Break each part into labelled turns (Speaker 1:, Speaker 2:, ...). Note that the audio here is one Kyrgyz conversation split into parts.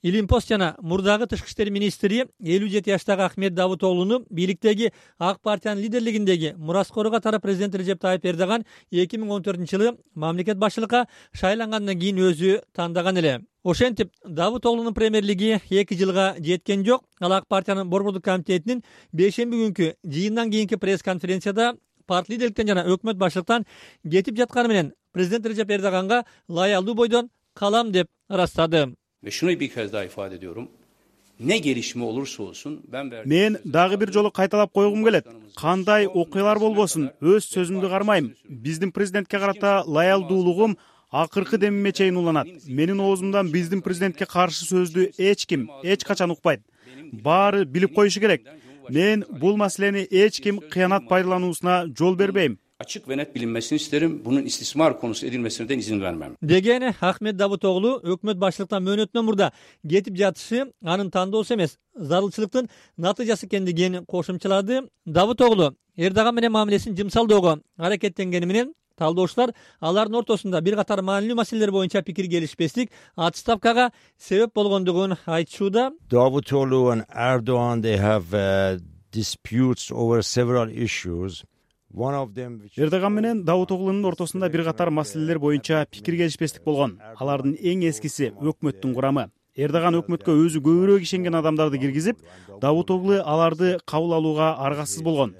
Speaker 1: Илимпост жана мурдагы тышкы иштер министри 57 жаштагы Ахмет Давутоглуну бийликтеги ак партиянын лидерлигиндеги мураскору катары президент Режеп Тайып Эрдоган 2014-жылы мамлекет башчылыкка шайлангандан кийин өзү тандаган эле. Ошентип, Давутоглунун премьерлиги 2 жылга жеткен жок. Ал ак партиянын борбордук комитетинин 5-шемби күнкү жыйындан кийинки пресс-конференцияда парт лидерликтен жана өкмөт башчылыктан кетип жатканы менен президент Режеп Эрдоганга лаялдуу бойдон калам деп ырастады.
Speaker 2: Ve şunu bir kez daha ifade ediyorum. Ne gelişme olursa olsun
Speaker 3: мен дагы бир жолу кайталап койгум келет. Кандай окуялар болбосун, өз сөзүмдү кармайм. Биздин президентке карата лаялдуулугум акыркы демиме чейин уланат. Менин оозумдан биздин президентке каршы сөздү эч ким, эч качан укпайт. Баары билип коюшу керек. Мен бул маселени эч ким кыянат пайдалануусуна жол бербейм.
Speaker 2: Açık ve net bilinmesini isterim. Bunun istismar konusu edilmesine de izin vermem.
Speaker 1: Деген Ахмет Давутоглу өкмөт башчылыктан мөөнөтүнөн мурда кетип жатышы анын тандоосу эмес, зарылчылыктын натыйжасы экендигин кошумчалады. Давутоглу Эрдоган менен мамилесин жымсалдөөгө аракеттенгени менен талдоочулар алардын ортосунда бир катар маанилүү маселелер боюнча пикир келишпестик отставкага себеп болгондугун айтышууда.
Speaker 4: Davutoglu and Erdogan, they have disputes over several issues.
Speaker 3: Эрдоган менен Давутоглунун ортосунда бир катар маселелер боюнча пикир келишпестик болгон. Алардын эң эскиси өкмөттүн курамы. Эрдоган өкмөткө өзү көбүрөөк ишенген адамдарды киргизип, Давутоглу аларды кабыл алууга аргасыз болгон.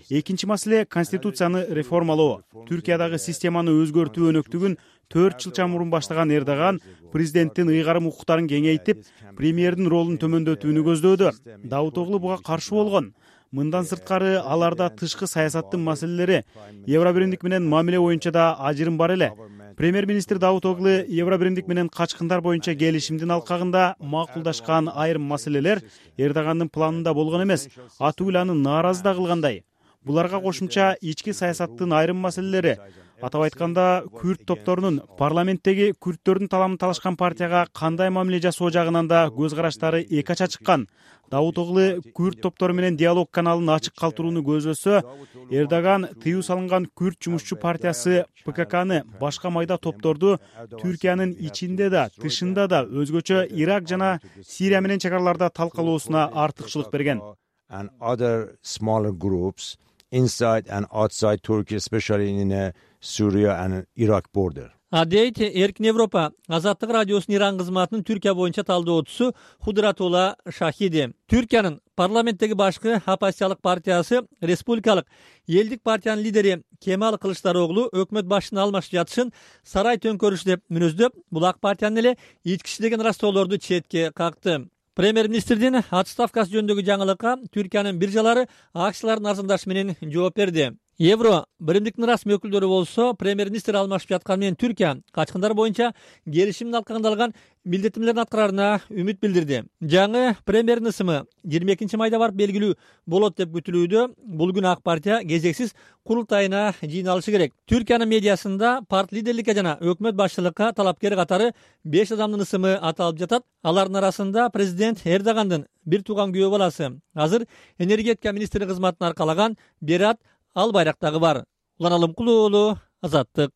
Speaker 3: Экинчи маселе конституцияны реформалоо. Түркиядагы системаны өзгөртүү өнөктүгүн 4 жыл мурун баштаган Эрдоган президенттин ыйгарым укуктарын кеңейтип, премьердин ролун төмөндөтүүнү көздөөдү. Давутоглу буга каршы болгон. Мындан сырткары аларда тышкы саясаттын маселелери, Евробиримдик менен мамиле боюнча да ажырым бар эле. Премьер-министр Давутоглу Евробиримдик менен качкындар боюнча келишимдин алкагында макулдашкан айрым маселелер Эрдогандын планында болгон эмес, атуу эле аны нааразы да кылгандай. Буларга кошумча ички саясаттын айрым маселелери, атап айтканда күрд топторунун парламенттеги күрдтөрдүн таламын талашкан партияга кандай мамиле жасоо жагынан да көз караштары эки ача чыккан. Давутоглу күрд топтору менен диалог каналын ачык калтырууну көздөсө, Эрдоган тыюу салынган күрд жумушчу партиясы ПККны башка майда топторду Түркиянын ичинде да, тышында да өзгөчө Ирак жана Сирия менен чекараларда талкалоосуна артыкчылык берген.
Speaker 4: And other smaller groups inside and outside Turkey, especially in Syria and Iraq border.
Speaker 1: Адейт Эркин Европа Азаттык радиосунун Иран кызматынын Түркия боюнча талдоочусу Худратулла Шахиди. Түркиянын парламенттеги башкы оппозициялык партиясы Республикалык элдик партиянын лидери Кемал Кылычдароглу өкмөт башчыны алмашып жатышын сарай төңкөрүшү деп мүнөздөп, бул ак партиянын эле ички иши деген ырастоолорду четке какты. Премьер-министрдин отставкасы жөнүндөгү жаңылыкка Түркиянын биржалары акциялардын арзандашы менен жооп берди. Евро биримдиктин расмий өкүлдөрү болсо, премьер-министр алмашып жатканы менен Түркия качкындар боюнча келишимдин алкагында алган милдеттемелерин аткараарына үмүт билдирди. Жаңы премьердин ысымы 22 майда барып белгилүү болот деп күтүлүүдө. Бул күнү ак партия кезексиз курултайына жыйналышы керек. Түркиянын медиасында парт лидерликке жана өкмөт башчылыкка талапкер катары 5 адамдын ысымы аталып жатат. Алардын арасында президент Эрдогандын бир тууган күйөө баласы, азыр энергетика министри кызматын аркалаган Берат Албайрактагы бар. Улан Алымкулуу, Азаттык.